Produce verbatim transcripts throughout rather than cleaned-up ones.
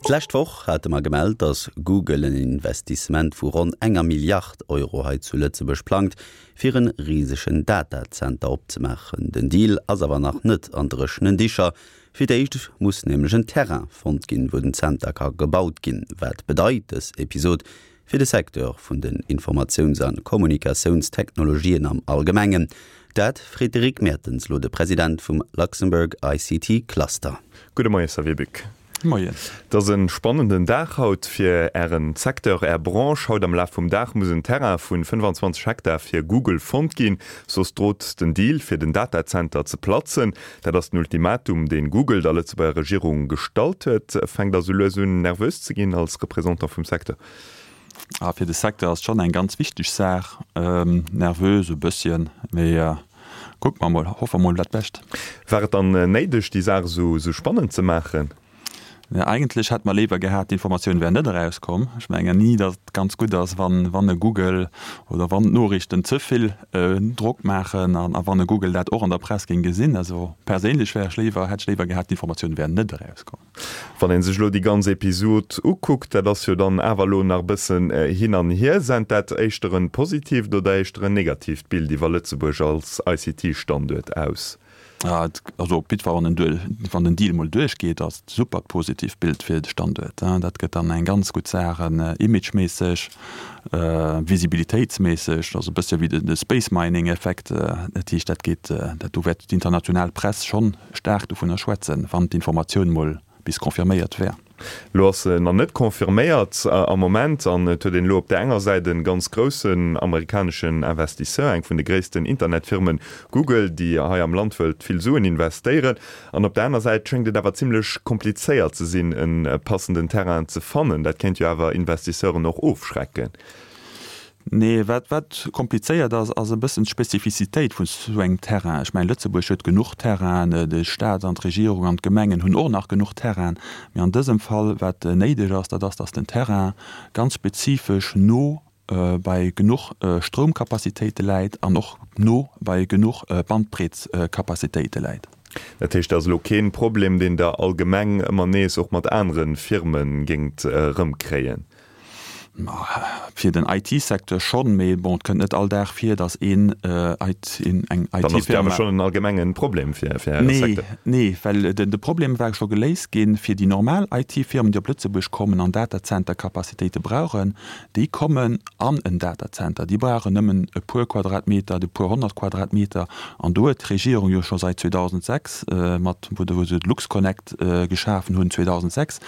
D'lescht Woch hate mer gemellt, datt Google en Investissement vu ronn enger Milliard Euro hei zu Lëtzebuerg plangt, fir en risegen Datazenter opzemaachen. Den Deal ass awer nach net an dréchenen Dicher. Fir d'éischt muss nämlech en Terrain fonnt ginn, wou den Zenter ka gebaut ginn. Wat bedeit dës Episod fir de Secteur vun den Informatiouns a Kommunikatiounstechnologien am Allgemengen? Dat freet de Rick Mertens lo de President vum Luxembourg I C T Cluster. Gudde Moien, Xavier Buck. Moien. Et ass e spannenden Dag haut fir Ären Secteur, Är Branche. Haut am Laf vum Dag muss en Terrain vun fënnefanzwanzeg Hektar fir Google fonnt ginn, soss drot den Deal fir den Datazenter ze platzen. Dat ass den Ultimatum, deen Google der Lëtzebuerger Regierung gestallt huet. Fänkt Der sou lues un nervös ze ginn als Représentant vum Secteur? Ah, fir de Secteur ass schonn eng ganz wichteg Saach. Ähm, nervös e bësschen, mee äh, kucke mer mol, hoffe mer mol dat Bescht. War et dann néideg, déi Saach sou, sou spannend ze maachen? Ja, eigentlech hätt mer léiwer gehat, d'Informatioun wär net erauskomm. Ech mengen ni, datt et ganz gutt ass, wann, wann e Google oder wann d'Noriichten ze vill äh, Drock maachen an, a wann e Google dat och an der Press géing gesinn. Also perséinlech wär ech léiwer, hätt ech léiwer gehat, d'Informatioun wär net erauskomm. Wann een sech lo déi ganz Episod ukuckt, dat ass jo dann awer lo nach bëssen äh, hin an hier, sent dat éischter en positiivt oder éischter en negatiivt Bild iwwer Lëtzebuerg als I C T-Standuert aus? Ja, also op jiddwer wann den, wann den Deal mol duerchgeet, ass super positivt Bild fir de Standuert. Dat gëtt dann eng ganz gutt Saach, äh, imageméisseg, äh, visibilitéitsméisseg, also bësse wéi de, de Space Mining Effekt, äh, dat heescht, dat geet, äh, dat do wäert d'international Press schonn staark dovunner schwätzen, wann d'Informatioun mol bis confirméiert wär. Lo ass se nach net confirméiert äh, am Moment an et huet een lo op der enger Säit e ganz groussen amerikaneschen Investisseur, eng vun de gréissten Internetfirmen Google, déi hei am Land wëllt vill Suen investéieren. An op der aner Säit schéngt et awer zimlech komplizéiert ze sinn, en äh, passenden Terrain ze fannen. Dat kéint jo awer Investisseuren och ofschrecken. Nee, wat, wat komplizéiert ass, ass e bëssen d'Spezifizitéit vun sou engem Terrain. Ech mengen, Lëtzebuerg huet genuch Terrain, de Staat an d'Regierung an d'Gemengen hunn och nach genuch Terrain. Mee an dësem Fall, wat néideg ass, dat ass, dass den Terrain ganz spezifesch no äh, bei genuch äh, Stroumkapazitéite läit an och no bei genuch äh, Bandbreetskapazitéite läit. Dat heescht, dat ass lo keen Problem, deen Der allgemeng ëmmer nees och mat anere Firme géingt äh, rëmkréien. Fir den I T-Secteur schonn, mee bon, et kënnt net all Dag vir, dass een äh, I T, in, eng Dann ass I T-Firma awer schonn en allgemengen Problem fir, fir Äre Nee, Secteur. nee, well den, de Problem war scho geléist ginn fir déi normal I T-Firmen, déi op Lëtzebuerg kommen an Datacenter-Kapazitéite brauchen, déi kommen an en Datacenter. Déi brauchen nëmmen e puer Quadratmeter, e puer honnert Quadratmeter. An do huet d'Regierung jo scho säit zweedausendsechs, äh, mat wou wou se LuxConnect äh, geschafen hunn zweedausendsechs,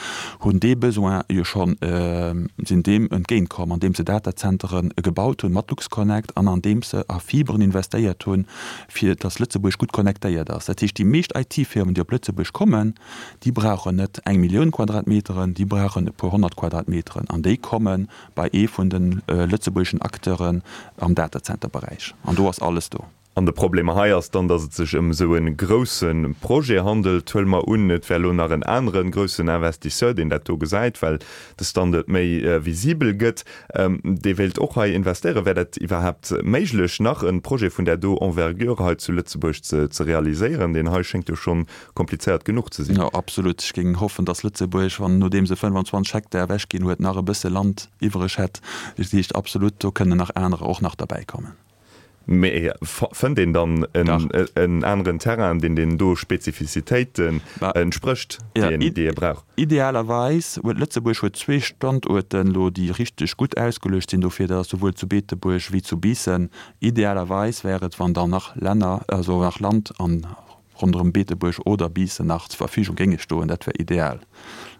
hunn dee Besoin jo schonn äh, sinn deem entgéintkomm, andeem se Datazenteren gebaut hunn mat LuxConnect an andeem se a Fiberen investéiert hunn, fir dass Lëtzebuerg gutt connectéiert ass. Dat heescht, déi meescht I T-Firmen, déi op Lëtzebuerg kommen, déi brauchen net eng Millioun Quadratmeteren, déi brauchen e puer honnert Quadratmeteren an déi komme bei ee vun den äh, lëtzebuergeschen Acteuren am Datacenter-Beräich. An do ass alles do. An de Problem hei ass dann, dass et sech ëm sou e grousse Projet handelt. Huele mer un, et wär lo nach en anere groussen Investisseur, deen dat do gesäit, well de Standuert méi äh, visibel gëtt. Ähm, dee wéilt och hei investéieren. Wär dat iwwerhaapt méiglech, nach e Projet vun där do Envergure hei zu Lëtzebuerg ze, ze realiséieren? Deen hei schéngt jo schonn komplizéiert genuch ze sinn. Ja, absolut. Ech géing hoffen, dass Lëtzebuerg, wann nodeem se fënnfanzwanzeg Hektar ewechginn huet, nach e bësse Land iwwereg hätt. Dat heescht absolut, do kënnen nach anerer och nach derbäi kommen. Mee fënnt een dann en, Dach. en aneren Terrain, deen den do Spezifizitéiten Ba- entsprécht, Ja, déi i- déi ee brauch? Idealerweis huet Lëtzebuerg huet zwee Standuerten lo, déi richteg gutt ausgeluecht sinn dofir, dat ass souwuel zu Beetebuerg wéi zu Biissen. Idealerweis wär et, wann dann nach Länner, also nach Land an ronderëm Beetebuerg oder Biissen nach zur Verfügung géinge stoen, dat wär ideal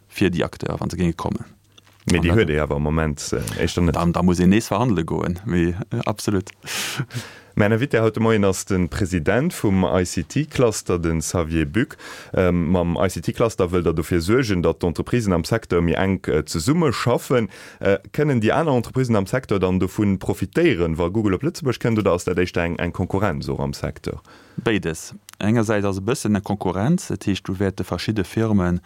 fir déi Acteur, wann se géinge kommen. Mee An déi dat- huet ee awer am Moment äh, éischter net. Dann, da muss een nees verhandele goen, mee äh, absolut. Mäin Invité haut de Moien ass de President vum I C T-Cluster, den Xavier Buck. Ähm, mam I C T-Cluster wëllt Der dofir suergen, datt d'Entreprisen am Secteur méi enk äh, zesummeschaffen. Äh, kënnen déi aner Entreprisen am Secteur dann dovun profitéieren, wa Google op Lëtzebuerg kënnt, oder ass dat éischter eng, eng Konkurrenz och am Secteur? Béides. Engersäits ass e bëssen eng Konkurrenz, dat heescht, do wäerte verschidde Firmen,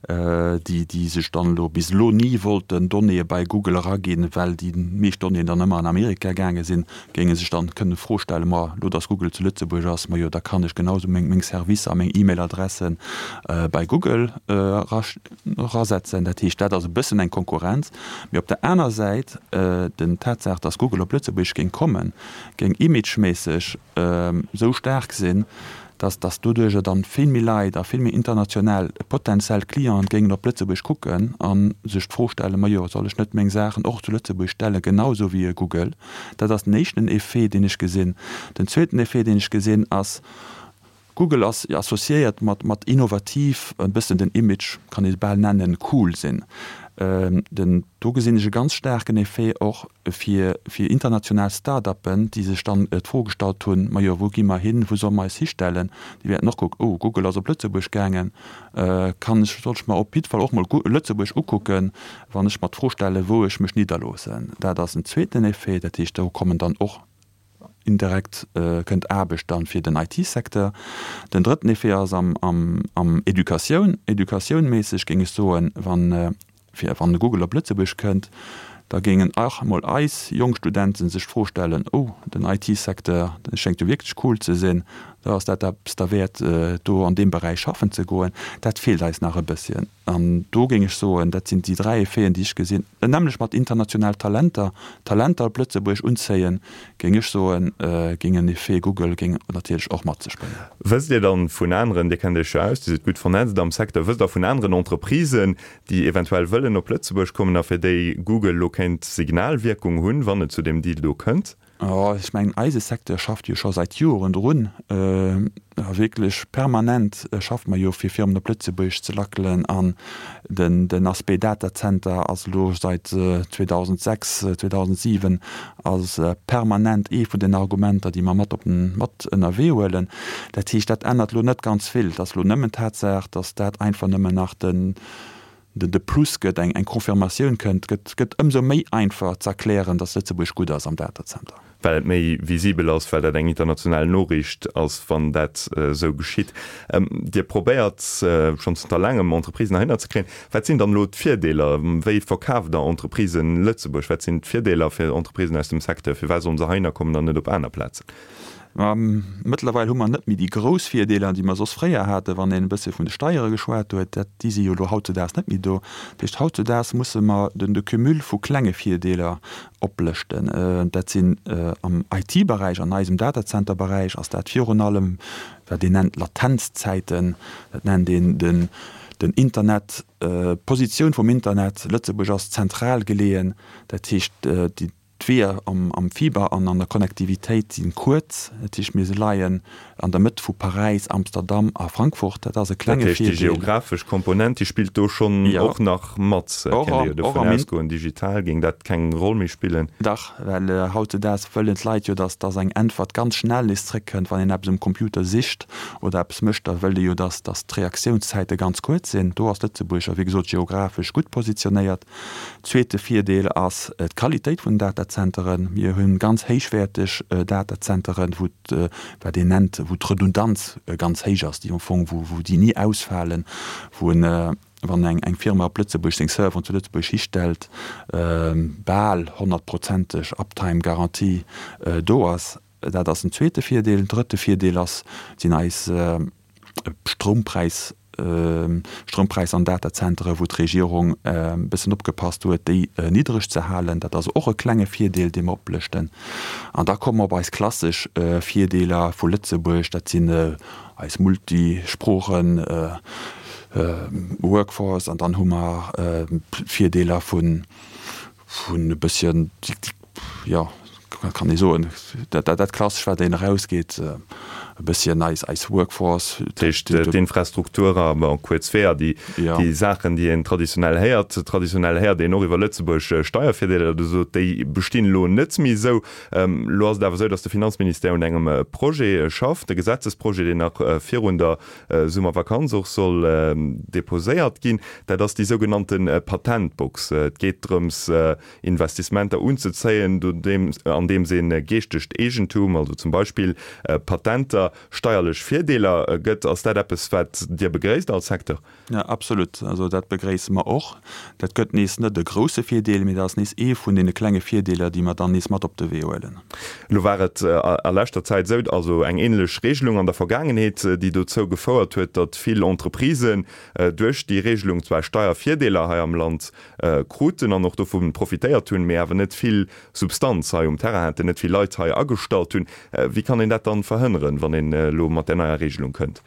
äh, déi, déi sech dann lo bis lo ni wollten Donnéeë bei Google eraginn, well déi meescht Donnéeën dann ëmmer an Amerika gaange sinn, géinge sech dann kënne Fro d'Fro stellen, ma elo dass Google zu Lëtzebuerg ass, majo da kann ech genau sou meng meng Servicer a meng E-Mail-Adressen bei Google erasetzen. Dat heescht, dat ass e bëssen eng Konkurrenz. Mee op der aner Säit, den Tatsaach, dass Google op Lëtzebuerg géing kommen, géing imageméisseg esou staark sinn, dass dass doduerjer dann vill méi Leit a vill méi international potenziell Clienten géingen op Lëtzebuerg kucken a sech d'Fro stellen, Majo, soll ech net meng Saachen och zu Lëtzebuerg stellen, genau esou wéi e Google? Dat ass den éischten Effet, deen ech gesinn. Den zweeten Effet, deen ech gesinn, ass, Google ass associéiert mat mat innovativ, e bëssen den Image, kann ee bal nennen, cool sinn. Den, do gesinn ech e ganz staarken Effet och fir, fir international Start-uppen, déi sech dann d'Fro gestallt hunn, Majo, wou gi mer hin, wou solle mer eis histellen? Déi wäerten och kucken, Oh, Google ass op Lëtzebuerg gaangen, kann ech, soll ech mer op jiddwer Fall och mol Lëtzebuerg ukucken, wann ech mer d'Fro stellen, wou ech mech nidderloossen. Dat ass en zweeten Effet. Dat heescht, do kommen dann och Indirekt kënnt Aarbecht dann fir den IT-Secteur. Den drëtten Effet ass am, am, am Educatioun. Educatiounméisseg géing ech soen, wann, fir wann de Google op Lëtzebuerg kënnt, da géingen och emol eis jonk Studenten sech d'Fro stellen, Oh, den IT-Secteur, dee schéngt jo wierklech cool ze sinn, da ass dat eppes derwäert, do an deem Beräich schaffen ze goen. Dat feelt eis nach e bësschen. An do géing ech soen, dat sinn déi dräi Effeten, déi ech gesinn. Nämlech mat international Talenter, Talenter op Lëtzebuerg unzéien, géing ech soen, géing en Effet Google géing natierlech och mat sech bréngen. Wësst Dir dann vun aneren, Dir kennt Iech jo aus, Dir sidd gutt vernetzt am Secteur, wësst Der vun aneren Entreprisen, déi eventuell wëllen op Lëtzebuerg kommen a fir déi Google elo kéint Signalwierkung hunn, wann et zu deem Deal do kënnt? Oh, ech mengen, eise Secteur schafft jo scho säit Joren drun, a wierklech permanent schaffe mer jo, fir Firmen op Lëtzebuerg ze lackelen. An den, den Aspect Datacenter ass elo säit zweedausendsechs, zweedausensiwen ass permanent ee vun den Argumenter, déi mer mat op den, mat ënnerwee huelen. Dat heescht, dat ännert elo net ganz vill. Et ass elo nëmmen d'Tatsaach, dass dat einfach nëmmen nach den, de Plus gëtt, eng Confirmatioun kënnt, gëtt gëtt ëmsou méi einfach z'erklären, datt Lëtzebuerg gutt ass am Datacenter. Well et méi visibel ass, well dat eng international Noriicht ass, wann dat esou geschitt. Dir probéiert schonn zënter laangem Entreprisen heihinner ze kréien. Wat sinn dann elo d'Virdeeler? Wéi verkaaft Der Entreprisen Lëtzebuerg? Wat sinn d'Virdeeler fir Entreprisen aus dem Secteur? Firwat sollen se heihinner kommen an net op aner Plazen? Mëttlerweil hu mer net méi déi grouss Virdeeler, déi mer soss fréier haten, wann een e bësse vun de Steiere geschwat huet. Dat, déi si jo elo hautzedaags net méi do. Dat heescht, hautzedaags musse mer den de Cumul vu klenge Virdeeler oplëschten. Dat sinn am I T-Beräich, an eisem Datazenterberäich ass dat virun allem, wat een nennt Latenzzäiten, dat nennt een den den Internet, d'Positioun vum Internet. Lëtzebuerg ass zentral geleeën, dat heescht, déi D'Weeër am Fiber an an der Connectivitéit si kuerz. Dat heescht, mir leien an der Mëtt vu Paräis, Amsterdam a Frankfurt. Dat ass e klenge Virdeel. Dat heescht, déi geographesch Komponent, déi spillt do schonn och nach mat. Et kéint ee jo dovun ausgoen, digital géing dat keng Roll méi spillen. Dach, well hautzedaags wëllen d'Leit jo, dass dass eng Äntwert ganz schnell nees zréckkënnt. Wann een eppes um Computer sicht oder eppes mécht, da wëllt ee jo, dass dass d'Reaktiounszäite ganz kuerz sinn. Do ass Lëtzebuerg jo, wéi gesot, geographesch gutt positionéiert. Zweete Virdeel ass d'Qualitéit vun den Datazenteren. Mir hu ganz héichwäerteg Datazenteren, wou wat een nennt, wou d'Redundanz ganz héich ass, déi am Fong, wou déi ni ausfalen, wou en, wann eng Firma op Lëtzebuerg seng Serveren zu Lëtzebuerg histellt, bal honnertprozenteg Uptime-Garantie do ass. Dat ass en zweete Virdeel. Drëtte Virdeel ass, sinn eis Stroumpräis, Stroumpräis an Datazentere wou d'Regierung e bëssen opgepasst huet, déi niddreg ze halen. Dat ass och e klenge Virdeel, dee mer oplëschten. An da komme mer op eis klassesch Virdeeler vu Lëtzebuerg, dat sinn eis Multisproochen Workforce an dann hu mer Virdeeler vun e bësschen, jo, kann ee soen, dat Klassesch, wat een erausgeet, e bësschen eis, eis Workforce. Dat heescht, d'Infrastruktur a bon, kuerz Weeër, déi, déi Saachen, déi een traditionell héiert. Traditionell héiert een och iwwer Lëtzebuerg Steiervirdeeler oder esou, déi bestinn elo net méi esou. Elo ass et awer esou, datt de Finanzministère un engem Projet schafft, e Gesetzesprojet, deen nach virun der Summervakanz och soll deposéiert ginn. Dat ass déi sougenannte Patentbox. Et geet drëms, Investissementer unzezéien, andeems een geeschtegt Eegentum, also zum Beispill Patenter, weider steierlech Virdeeler gëtt. Ass dat eppes, wat Dir begréisst als Secteur? Ja, absolut. Also dat begréisse mer och. Dat gëtt nees net e grousse Virdeel, mee dat ass nees ee vun deene klenge Virdeeler, déi mer dann nees mat op de Wee huelen. Elo war et a leschter Zäit esou, also eng änlech Regelung an der Vergaangenheet, déi dozou gefouert huet, datt vill Entreprisen duerch déi Regelung zwar Steiervirdeeler hei am Land kruten an och dovu profitéiert hunn, mee awer net vill Substanz hei um Terrain haten, net vill Leit hei agestallt hunn. Wéi kann een dat dann verhënneren, wann een elo mat där neier Regelung kënnt?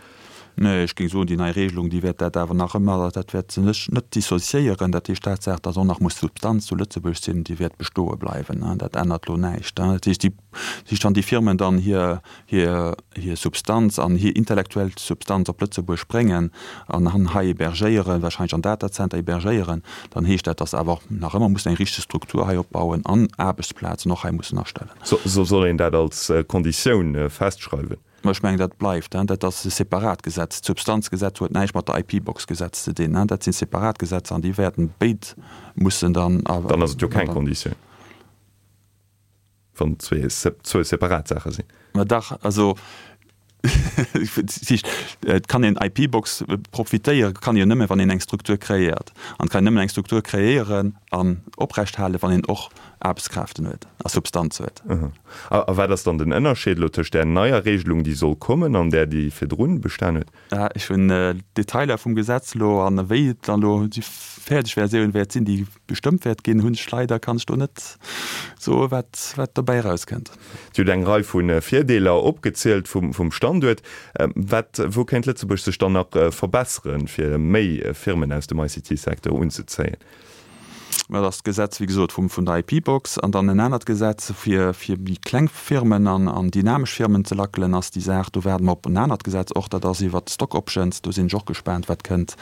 Nee, ech géing soen, déi nei Regelung, déi wäert dat awer nach ëmmer, dat wäert se net dissociéieren. Dat heescht, d'Tatsaach, datt och nach muss Substanz zu Lëtzebuerg sinn, déi wäert bestoe bleiwen. Dat ännert elo näischt. Dat heescht, déi, dat heescht, wann déi Firmen dann hir, hir, hir Substanz an hir intellektuell Substanz op Lëtzebuerg bréngen an an hei hébergéieren, wahrscheinlech an Datacenter hébergéieren, dann heescht dat, datt se awer och nach ëmmer mussen eng richteg Struktur hei opbauen an Aarbechtsplazen och hei mussen astellen. Soll een dat als Konditioun festschreiwen? Mä ech mengen, dat bleift. Dat ass e separat Gesetz. D'Substanzgesetz huet näischt mat der IP-Box-Gesetz ze dinn. Dat si separat Gesetzer an déi wäerten béid mussen dann. Dann ass et jo keng Konditioun, wann et zwee zwou separat Saache sinn. Mä dach, also et kann een IP-Box profitéiere kann een jo nëmme wann een eng Struktur kreéiert. An et kann een nëmmen eng Struktur kreéieren an oprechthalen, wann een och Aarbechtskräften huet a Substanz huet. A wat ass dann den Ënnerscheed elo tëscht där neier Regelung, déi soll kommen, an där, déi virdrun bestan huet? Ech hunn d'Detailer vum Gesetz elo an wéi et dann elo déi fäerdeg Versioun wäert sinn, déi bestëmmt wäert ginn, hunn ech leider, kann ech do net soen, wat, wat dobäi erauskënnt. Dir hutt eng Rei vu Virdeeler opgezielt vum Standuert. Wat, wou kéint Lëtzebuerg sech dann nach verbesseren, fir méi Firmen aus dem I C T-Secteur unzezéien? Mä dat ass d'Gesetz, wéi gesot, vum, vun der I P-Box an dann en anert Gesetz, fir, fir méi kleng Firmen an, an dynamesch Firmen ze lackelen, ass déi Saach. Do waarde mer op en anert Gesetz och, dat ass iwwert d'Stock Options. Do sinn ech och gespaant, wat kënnt.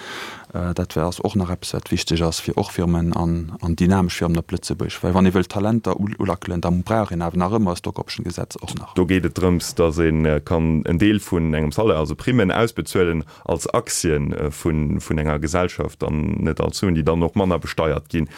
Dat wär, ass och nach eppes, wat wichteg ass, fir och Firmen an, an dynamesch Firmen op Lëtzebuerg. Well wann ee wëllt Talenter ulackelen, da brauch een awer nach ëmmer e Stock Option Gesetz och nach. Do geet et drëms, datt ee kann en Deel vun engem Salaire, also Primmen, ausbezuelen als Aktien vun, vun enger Gesellschaft an net als Suen, déi dann och manner besteiert ginn.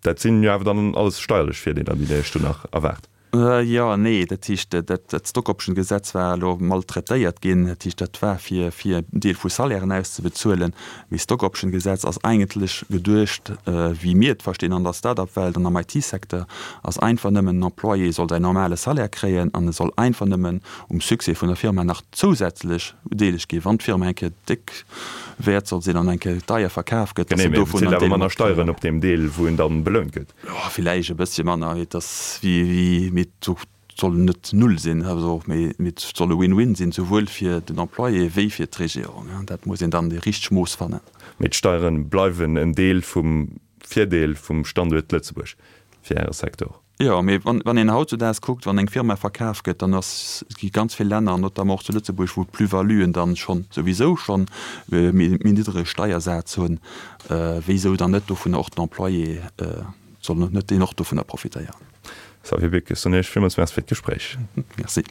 Dat sinn jo awer dann alles steierlech Virdeeler, déi Der Iech do nach erwaart. Jo an nee. Dat heescht, dat Stock-Option-Gesetz war elo maltraitéiert ginn. Dat heescht, dat war fir fir en Deel vu Salairen auszebezuelen. Mee Stock-Option-Gesetz ass eigentlech geduecht, wéi mir et verstinn an der Start-up-Welt an am I T-Secteur, ass einfach nëmmen, en Employé soll säin normale Salaire kréien an e soll einfach nëmmen um Succès vun der Firma nach zousätzlech bedeelegt ginn, wann d'Firma eng Kéier déck wäert soll sinn an eng Kéier deier verkaf gëtt, dass en Genee, mee e dovun bezilt en awer Deel manner matkréien. Steieren op deem Deel, wou en dann belount gëtt. Jo, villäicht e bëssche manner, mee et ass wéi, wéi, mee et soll net null sinn, also, mee, mee et soll e Win-win sinn, souwuel fir den Employé wéi fir d'Regierung. Dat muss een dann déi richteg Mooss fannen. Mee d'Steiere bleiwen en Deel vum Virdeel vum Standuert Lëtzebuerg fir Äre Secteur. Jo, mee wann, wann een hautzudaags kuckt, wann eng Firma verkaf gëtt, dann ass, gi ganz vill Länner, notamment och zu Lëtzebuerg, wou d'Plus-valuen dann schonn souwisou schonn méi, méi niddrege Steiersaz hunn, wéisou dann net dovunner och den Employé, soll net deen och dovunner profitéieren? Xavier Beck, ech soen Iech villmools Merci fir d'Gespréich. Merci.